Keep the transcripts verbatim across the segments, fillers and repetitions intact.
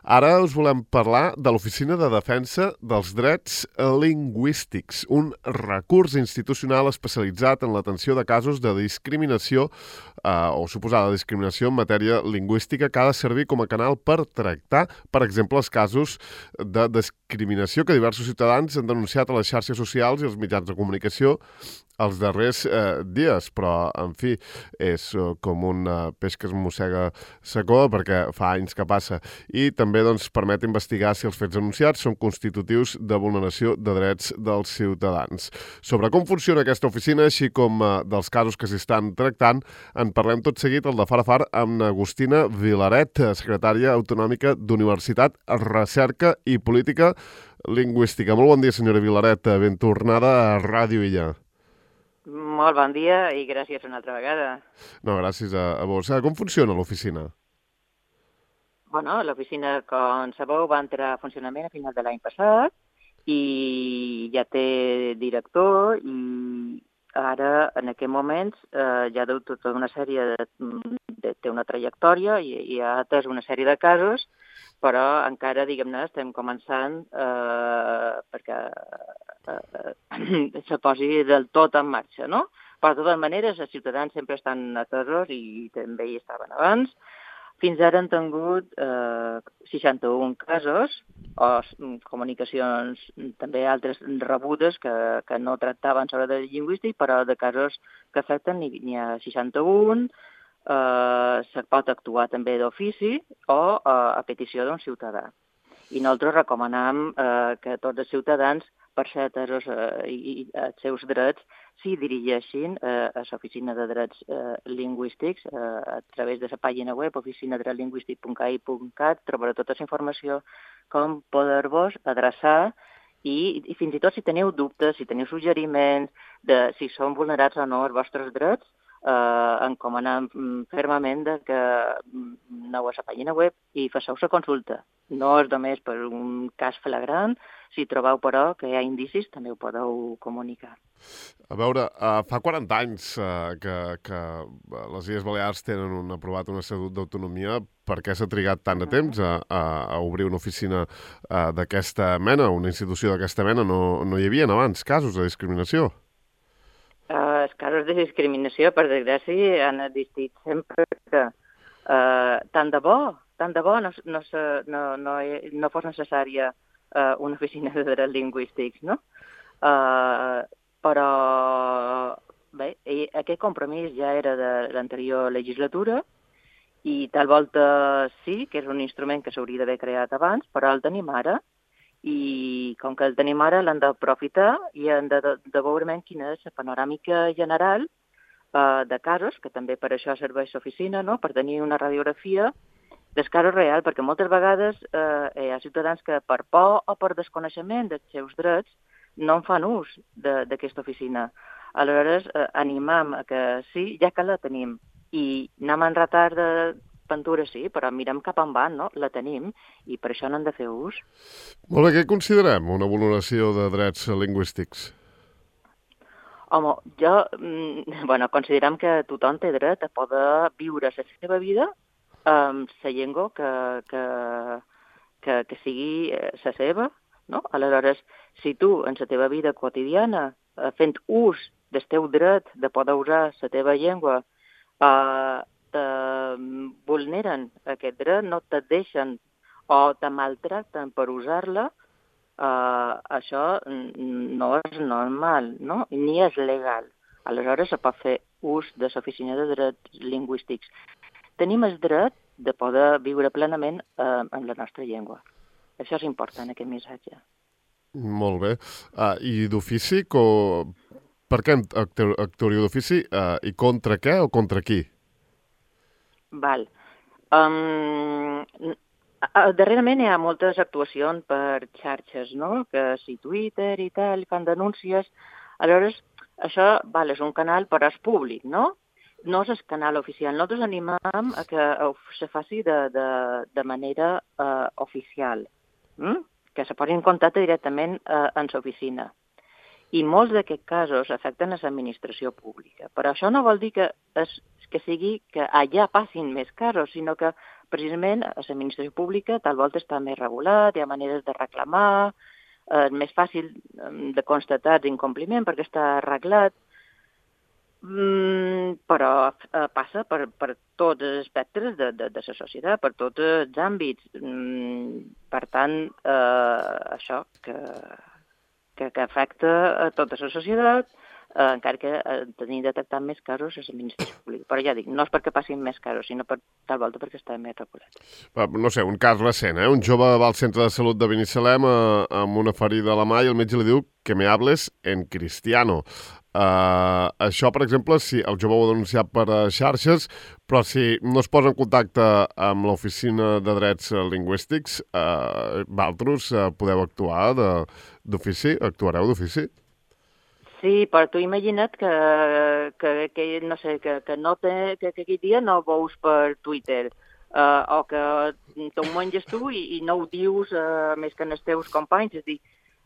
Ara us volem parlar de l'Oficina de Defensa dels Drets Lingüístics, un recurs institucional especialitzat en l'atenció de casos de discriminació eh, o suposada discriminació en matèria lingüística que ha de servir com a canal per tractar, per exemple, els casos de discriminació que diversos ciutadans han denunciat a les xarxes socials i als mitjans de comunicació els darrers eh, dies, però, en fi, és eh, com un eh, peix que es mossega secó perquè fa anys que passa. I també doncs, permet investigar si els fets anunciats són constitutius de vulneració de drets dels ciutadans. Sobre com funciona aquesta oficina, així com eh, dels casos que s'hi estan tractant, en parlem tot seguit al de Far a Far amb Agustina Vilaret, secretària autonòmica d'Universitat, Recerca i Política Lingüística. Molt bon dia, senyora Vilaret. Ben tornada a Ràdio Illa. Molt bon dia i gràcies una altra vegada. No, gràcies a, a vos. Com funciona l'oficina? Bueno, l'oficina, com sabeu, va entrar a funcionament a final de l'any passat i ja té director i ara, en aquest moment, eh, ja deu tota una sèrie de, de... té una trajectòria i, i ha atès una sèrie de casos, però encara, diguem-ne, estem començant eh, perquè eh, se posi del tot en marxa, no? Però, de totes maneres, els ciutadans sempre estan atesos i també hi estaven abans. Fins ara han tingut eh, seixanta-un casos o comunicacions també altres rebudes que, que no tractaven sobre dret lingüístic, però de casos que afecten n'hi ha seixanta-un, eh, se pot actuar també d'ofici o eh, a petició d'un ciutadà. I nosaltres recomanam eh, que tots els ciutadans, per ser atesos eh, i, i els seus drets, s'hi dirigeixin eh, a l'Oficina de Drets eh, Lingüístics eh, a través de la pàgina web oficina dret lingüístic punt ca i punt cat. Trobareu tota la informació com poder-vos adreçar i, i fins i tot si teniu dubtes, si teniu suggeriments de si són vulnerats o no els vostres drets, eh, encomanem fermament de que aneu a la pàgina web i faceu la consulta. No és només per un cas flagrant, si trobeu, però, que hi ha indicis, també ho podeu comunicar. A veure, uh, fa quaranta anys uh, que, que les Illes Balears tenen un, aprovat un estatut d'autonomia. Per què s'ha trigat tant de temps a, a, a obrir una oficina uh, d'aquesta mena, una institució d'aquesta mena? No, no hi havia abans casos de discriminació? Uh, els casos de discriminació, per desgràcia, han existit sempre que uh, tant de bo, tant de bo no, no, no, no, no fos necessària uh, una oficina de drets lingüístics, no? Uh, però bé, aquest compromís ja era de l'anterior legislatura i tal volta sí, que és un instrument que s'hauria d'haver creat abans, però el tenim ara i com que el tenim ara l'hem d'aprofitar i hem de, de, de veure quina és la panoràmica general eh, de casos, que també per això serveix l'oficina, no? Per tenir una radiografia dels casos reals, perquè moltes vegades eh, hi ha ciutadans que per por o per desconeixement dels seus drets no en fan ús d'aquesta oficina. Aleshores, eh, animam a que sí, ja que la tenim, i anem en retard de pintura, sí, però mirem cap on van, no? La tenim, i per això n'hem de fer ús. Molt bé, què considerem una vulneració de drets lingüístics? Home, jo, mm, bueno, considerem que tothom té dret a poder viure la seva vida amb la llengua que, que, que, que sigui la seva, no? Aleshores, si tu, en la teva vida quotidiana, fent ús del teu dret de poder usar la teva llengua, eh, te vulneren aquest dret, no te deixen o te maltracten per usar-la, eh, això no és normal, no? Ni és legal. Aleshores, se pot fer ús de l'Oficina de Drets Lingüístics. Tenim el dret de poder viure plenament eh, amb la nostra llengua. Això és important, aquest missatge. Molt bé. Uh, I d'ofici, co... per què actuaríeu d'ofici uh, i contra què o contra qui? Val. Um, darrerament hi ha moltes actuacions per xarxes, no? Que si Twitter i tal, fan denúncies. Aleshores, això val, és un canal però és públic, no? No és el canal oficial. Nosaltres animem a que se faci de, de, de manera uh, oficial, mm? Que se posi en contacte directament uh, en l'oficina. I molts d'aquests casos afecten a l'administració pública. Però això no vol dir que, es, que sigui que allà passin més casos, sinó que precisament a l'administració pública tal volta està més regulat, hi ha maneres de reclamar, és més fàcil de constatar l'incompliment perquè està arreglat, mm, però eh, passa per, per tots els espectres de, de, de la societat, per tots els àmbits. Mm, per tant, eh, això que, que, que afecta a tota la societat, eh, encara que eh, tenim detectat més casos a l'administració pública. Però ja dic, no és perquè passin més casos, sinó per tal volta perquè està més regulat. No sé, un cas recent, eh? Un jove va al centre de salut de Binissalem eh, amb una ferida a la mà i el metge li diu que me hables en cristiano. Uh, això, per exemple, si el jove ho ha denunciat per uh, xarxes, però si no es posa en contacte amb l'Oficina de Drets Lingüístics, uh, vosaltres uh, podeu actuar d'ofici? Actuareu d'ofici? Sí, però tu imagina't que, que, que no sé, que, que, no te, que, que aquell dia no ho veus per Twitter, uh, o que t'ho menges tu i, i no ho dius uh, més que en els teus companys, és a dir,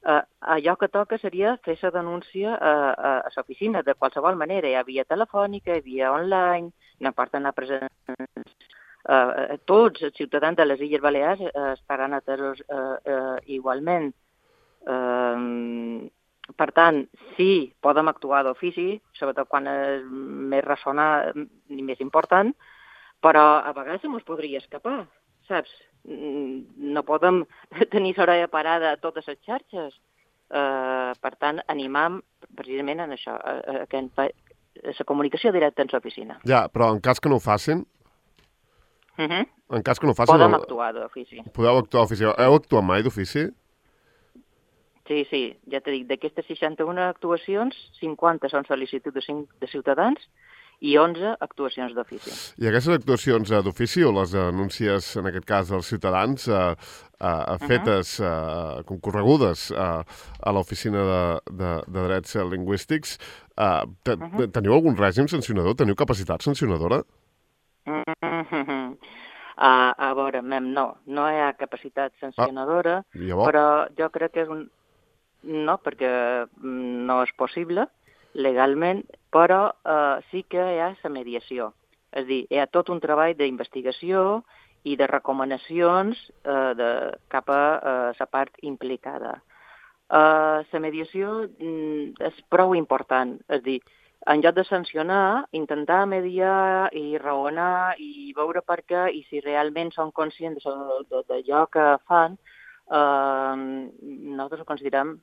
Uh, allò que toca seria fer la denúncia a, a, a l'oficina de qualsevol manera. Hi ha via telefònica, hi ha via online, no importa anar presents. Uh, tots els ciutadans de les Illes Balears uh, estaran atesos uh, uh, igualment. Uh, per tant, sí, podem actuar d'ofici, sobretot quan és més ressonant i més important, però a vegades ens podria escapar, saps? No podem tenir l'orella parada a totes les xarxes. Uh, per tant, animam precisament en això, a, a, a, a la comunicació directa en l'oficina. Ja, però en cas que no ho facin, uh -huh. en cas que no ho facin... Podem el... actuar d'ofici. Podeu actuar d'ofici. Heu actuat mai d'ofici? Sí, sí, ja t'he dit, d'aquestes seixanta-una actuacions, cinquanta són sol·licituds de ciutadans i onze actuacions d'ofici. I aquestes actuacions d'ofici o les denúncies, en aquest cas, dels ciutadans, eh, eh, fetes, eh, concorregudes eh, a l'Oficina de, de, de Drets Lingüístics, eh, te, uh -huh. teniu algun règim sancionador? Teniu capacitat sancionadora? Uh -huh. a, a veure, mem, no, no hi ha capacitat sancionadora, ah, però jo crec que és un... No, perquè no és possible legalment, però eh, sí que hi ha la mediació. És a dir, hi ha tot un treball d'investigació i de recomanacions eh, de, cap a la part implicada. La eh, mediació mm, és prou important. És a dir, en lloc de sancionar, intentar mediar i raonar i veure per què i si realment són conscients d'allò que fan, eh, nosaltres ho considerem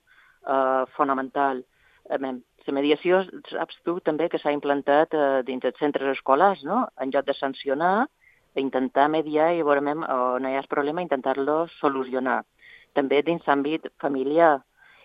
eh, fonamental. La mediació, saps tu també que s'ha implantat eh, dins dels centres escolars, no? En lloc de sancionar, intentar mediar i veure on no hi ha problema, intentar-lo solucionar. També dins l'àmbit familiar.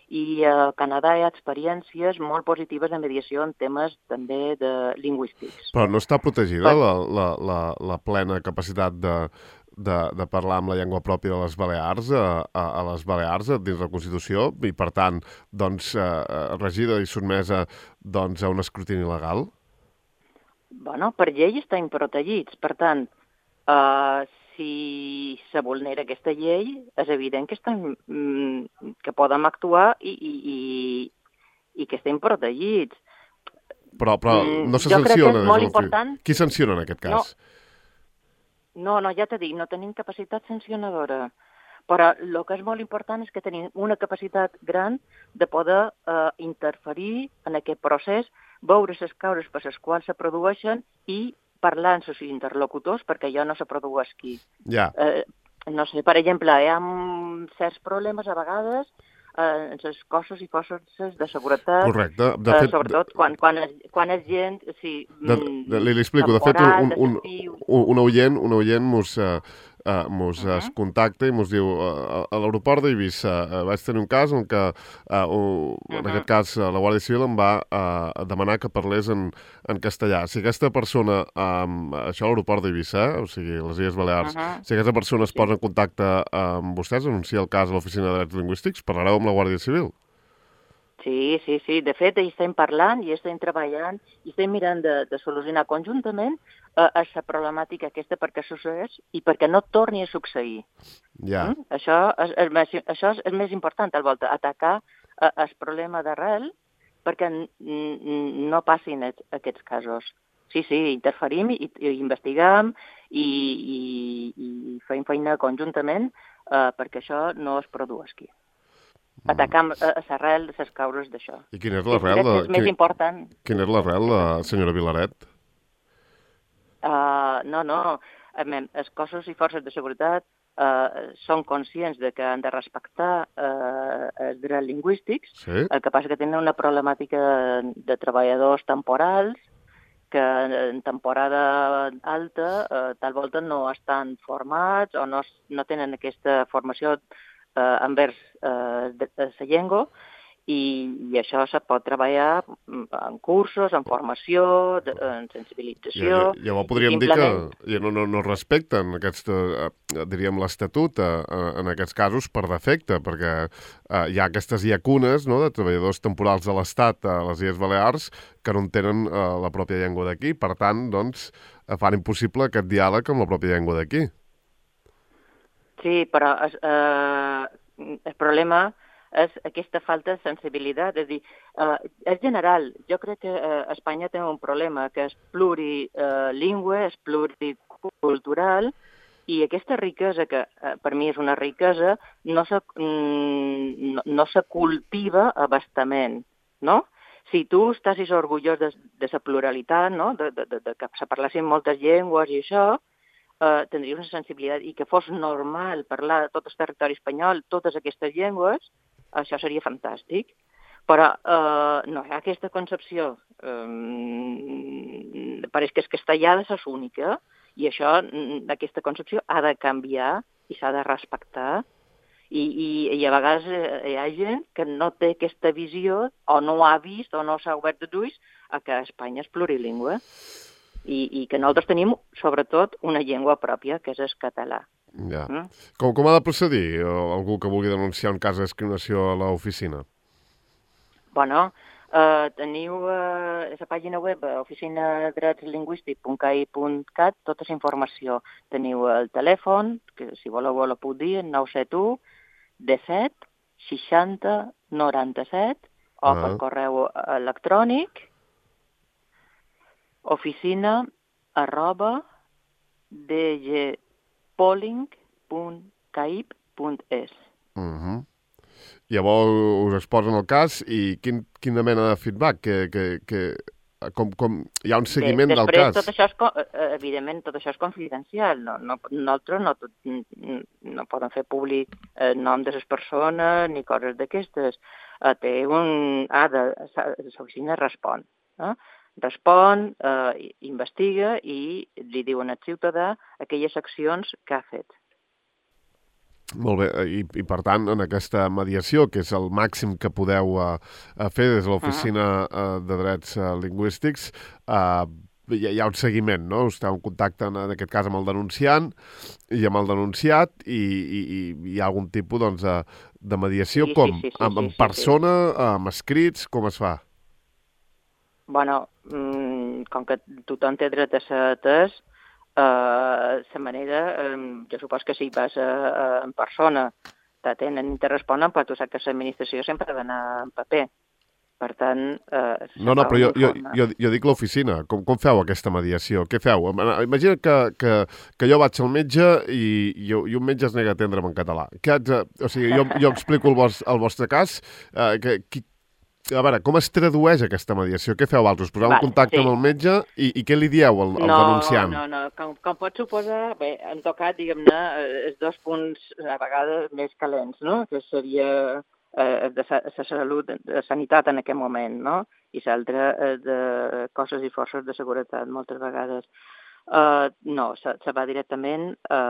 I a Canadà hi ha experiències molt positives de mediació en temes també de lingüístics. Però no està protegida per... la, la, la, la plena capacitat de, de, de parlar amb la llengua pròpia de les Balears a, a, a les Balears dins la Constitució i, per tant, doncs, eh, regida i sotmesa doncs, a un escrutini legal? Bueno, per llei estan protegits. Per tant, eh, si se vulnera aquesta llei, és evident que, estem, que podem actuar i, i, i, i que estem protegits. Però, però no se jo sanciona. Crec que és molt important. Qui sanciona en aquest cas? No, no, no ja t'he dit, no tenim capacitat sancionadora. Però el que és molt important és que tenim una capacitat gran de poder eh, interferir en aquest procés, veure les causes per les quals se produeixen i parlar amb els interlocutors perquè allò no se produeix aquí. Ja. Eh, no sé, per exemple, hi ha certs problemes a vegades eh, en els cossos i forces de seguretat. Correcte. De fet, eh, sobretot quan, quan, és, quan és gent... Sí, de, de, li, li explico. De fet, un, un, un, un oient, un oient mos... Uh, Uh, mos uh -huh. es contacta i mos diu uh, a l'aeroport d'Eivissa uh, vaig tenir un cas en què uh, uh, en uh -huh. aquest cas uh, la Guàrdia Civil em va uh, demanar que parlés en, en castellà. Si aquesta persona, um, això a l'aeroport d'Eivissa, eh? O sigui, les Illes Balears, uh -huh. si aquesta persona es posa en contacte amb vostès, anuncia el cas a l'Oficina de Drets Lingüístics, parlareu amb la Guàrdia Civil? Sí, sí, sí. De fet, hi estem parlant i estem treballant i estem mirant de, de solucionar conjuntament a la problemàtica aquesta perquè succeeix i perquè no torni a succeir. Ja. Mm? Això, és, és més, això és més important, al volta, atacar eh, el problema d'arrel perquè no passin aquests casos. sí, sí, interferim i, i investiguem i, i, i fem feina conjuntament eh, perquè això no es produeixi. Atacam a l'arrel de les causes d'això. I quina és Que l'arrel? crec que és més important. Quina és l'arrel, senyora Vilaret? Uh, no, no. Els cossos i forces de seguretat uh, són conscients de que han de respectar uh, els drets lingüístics. Sí. El que passa que tenen una problemàtica de treballadors temporals que en temporada alta uh, tal volta no estan formats o no, no tenen aquesta formació uh, envers uh, la llengua. I, i això se pot treballar en cursos, en formació, de, en sensibilització... Ja, ja, ja podríem simplement... dir que ja no, no, no respecten aquesta, eh, diríem l'Estatut eh, en aquests casos per defecte, perquè eh, hi ha aquestes llacunes, no?, de treballadors temporals de l'Estat a les Illes Balears que no entenen eh, la pròpia llengua d'aquí. Per tant, doncs, fan impossible aquest diàleg amb la pròpia llengua d'aquí. Sí, però eh, el problema és aquesta falta de sensibilitat. És a dir, eh, és general. Jo crec que eh, Espanya té un problema que és plurilingüe, és pluricultural, i aquesta riquesa, que eh, per mi és una riquesa, no se, mm, no, no se cultiva a bastament, no? Si tu estàs orgullós de, de la pluralitat, no? de, de, de, de que se parlessin moltes llengües i això, eh, tindries una sensibilitat, i que fos normal parlar a tot el territori espanyol totes aquestes llengües, això seria fantàstic, però eh, no hi ha aquesta concepció. Eh, pareix que el castellà ha de ser única, i això, aquesta concepció ha de canviar i s'ha de respectar, i, i, i a vegades hi ha gent que no té aquesta visió, o no ha vist, o no s'ha obert els ulls, a que Espanya és plurilingüe, i, i que nosaltres tenim, sobretot, una llengua pròpia, que és el català. Ja. Mm? Com, com ha de procedir algú que vulgui denunciar un cas de discriminació a l'oficina? Bueno, eh, teniu eh, la pàgina web oficina drets lingüístic punt c a i punt cat, tota la informació. Teniu el telèfon, que si voleu la puc dir, nou set u disset seixanta noranta-set, o ah. per correu electrònic oficina arroba dg polling punt caib punt es. Uh-huh. Llavors us exposen el cas i quin, quina mena de feedback? Que, que, que, com, com, hi ha un seguiment Bé, del després, cas? Tot això és, evidentment, tot això és confidencial. No, no, nosaltres no, no, no podem fer públic el nom de les persones ni coses d'aquestes. Té un... Ah, de, l'oficina respon. Eh? Respon, eh, investiga i li diuen al ciutadà aquelles accions que ha fet. Molt bé, I, i per tant, en aquesta mediació, que és el màxim que podeu uh, fer des de l'Oficina uh, de Drets uh, Lingüístics, uh, hi, hi ha un seguiment, no? Esteu en contacte, en, en aquest cas, amb el denunciant i amb el denunciat, i, i, i hi ha algun tipus doncs, de, de mediació, sí, com? Sí, sí, sí, amb, amb sí, persona, sí, sí. amb escrits, com es fa? Bueno, mmm, com que tothom té dret a ser atès, la uh, manera, um, jo supos que si vas a, a, en persona t'atenen i te responen, però tu saps que l'administració sempre ha d'anar en paper. Per tant... Uh, no, no, però jo, jo, jo, jo dic l'oficina. Com, com feu aquesta mediació? Què feu? Imagina que, que, que jo vaig al metge i, i, i un metge es nega a atendre'm en català. Què haig de, o sigui, jo, jo explico el, vos, el vostre cas. Uh, que, qui, A veure, com es tradueix aquesta mediació? Què feu altres? Poseu vale, en contacte sí. amb el metge i, i què li dieu al, al no, denunciant? No, no, no. Com, com pots suposar, bé, han tocat, diguem-ne, els dos punts a vegades més calents, no? Que seria eh, de la salut, de sanitat en aquest moment, no? I l'altre eh, de cossos i forces de seguretat, moltes vegades. Uh, no, se, se va directament a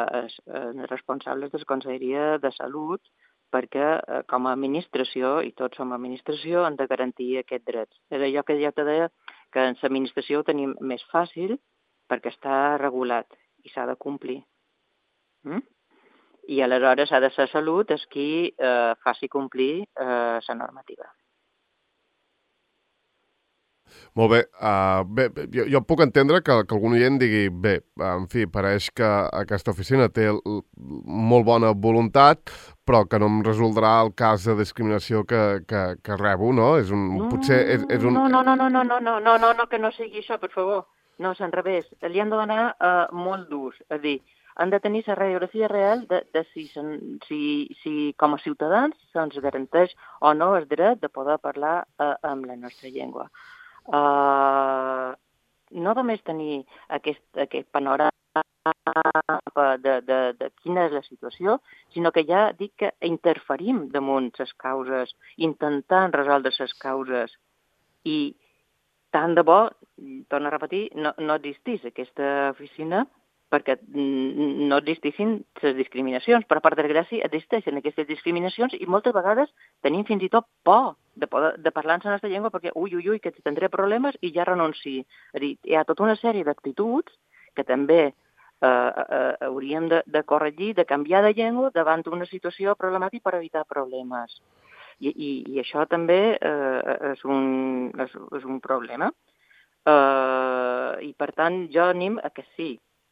uh, els responsables de la Conselleria de Salut, perquè eh, com a administració, i tots som administració, han de garantir aquests drets. És allò que ja te deia, que en l'administració ho tenim més fàcil perquè està regulat i s'ha de complir. Mm? I aleshores ha de ser Salut és qui eh, faci complir la eh, normativa. Molt bé. Uh, bé jo, jo puc entendre que, que algun oient digui bé, en fi, pareix que aquesta oficina té molt bona voluntat, però que no em resoldrà el cas de discriminació que, que, que rebo, no? És un, no, potser és, és un... no, no, no, no, no, no, no, no, no, no, que no sigui això, per favor. no, és al revés. Li han de donar uh, molt d'ús. És a dir, han de tenir la radiografia real de, de si, si, si com a ciutadans se'ns garanteix o no el dret de poder parlar uh, amb la nostra llengua. Uh, no només tenir aquest, aquest panorama de, de, de quina és la situació, sinó que ja dic que interferim damunt les causes, intentant resoldre les causes, i tant de bo, torno a repetir, no, no existís aquesta oficina perquè no existissin les discriminacions, però per desgràcia existeixen aquestes discriminacions i moltes vegades tenim fins i tot por de, poder, de parlar en la nostra llengua perquè ui, ui, ui, que tindré problemes i ja renunci. És a dir, hi ha tota una sèrie d'actituds que també eh, eh, hauríem de, de corregir, de canviar de llengua davant d'una situació problemàtica per evitar problemes. I, i, i això també eh, és, un, és, és un problema. Eh, I per tant jo anim a que sí,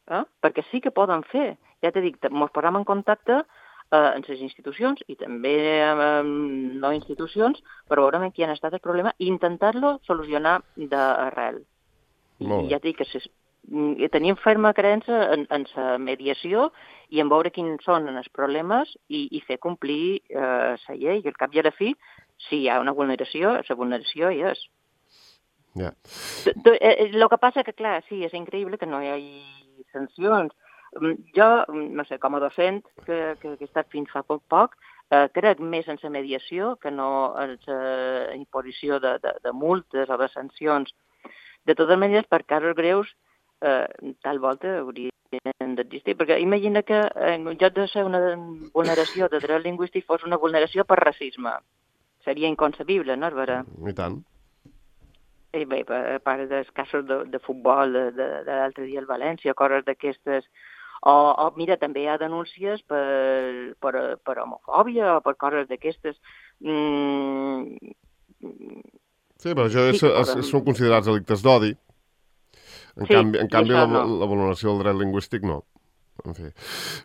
eh? perquè sí que poden fer. Ja t'he dit, ens posem en contacte eh, amb les institucions i també amb no institucions per veure en quin ha estat el problema i intentar-lo solucionar d'arrel. I, i ja t'he dit que ses, tenim ferma creença en, en la mediació i en veure quins són els problemes i, i fer complir eh, la llei. I al cap i a la fi, si hi ha una vulneració, la vulneració hi és. Yeah. El que passa que, clar, sí, és increïble que no hi hagi sancions. Jo, no sé, com a docent, que, que, que he estat fins fa poc poc, eh, crec més en la mediació que no en la imposició de, de, de multes o de sancions. De totes maneres, per casos greus, eh, tal volta haurien d'existir, perquè imagina que en lloc de ser una vulneració de dret lingüístic fos una vulneració per racisme. Seria inconcebible, no, és vera? I tant. I bé, a part dels casos de, de futbol de, de, de l'altre dia al València, coses d'aquestes. O, o, mira, també hi ha denúncies per, per, per homofòbia o per coses d'aquestes. Mm. Sí, però això és, Sí, és, són considerats delictes d'odi. En sí, canvi, en canvi la, no. la vulneració del dret lingüístic no. En fi.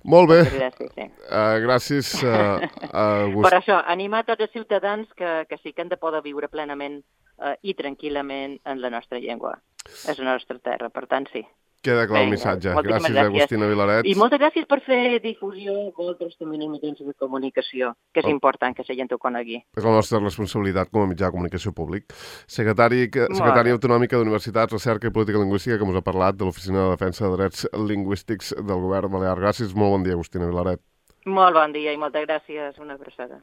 Molt bé. Gràcies, sí. Uh, gràcies, uh, Agust. Per això, animar tots els ciutadans que, que sí que han de poder viure plenament uh, i tranquil·lament en la nostra llengua. És la nostra terra, per tant, sí. Queda clar el Vinga, missatge. moltíssimes Gràcies, gràcies. Agustina Vilaret. I moltes gràcies per fer difusió vosaltres també en els mitjans de comunicació, que és Oh. important que la gent ho conegui. És la nostra responsabilitat com a mitjà de comunicació públic. Secretari, secretària autonòmica d'Universitats, Recerca i Política Lingüística, que ens ha parlat de l'Oficina de Defensa de Drets Lingüístics del Govern Balear. Gràcies, molt bon dia, Agustina Vilaret. Molt bon dia i moltes gràcies. Una abraçada.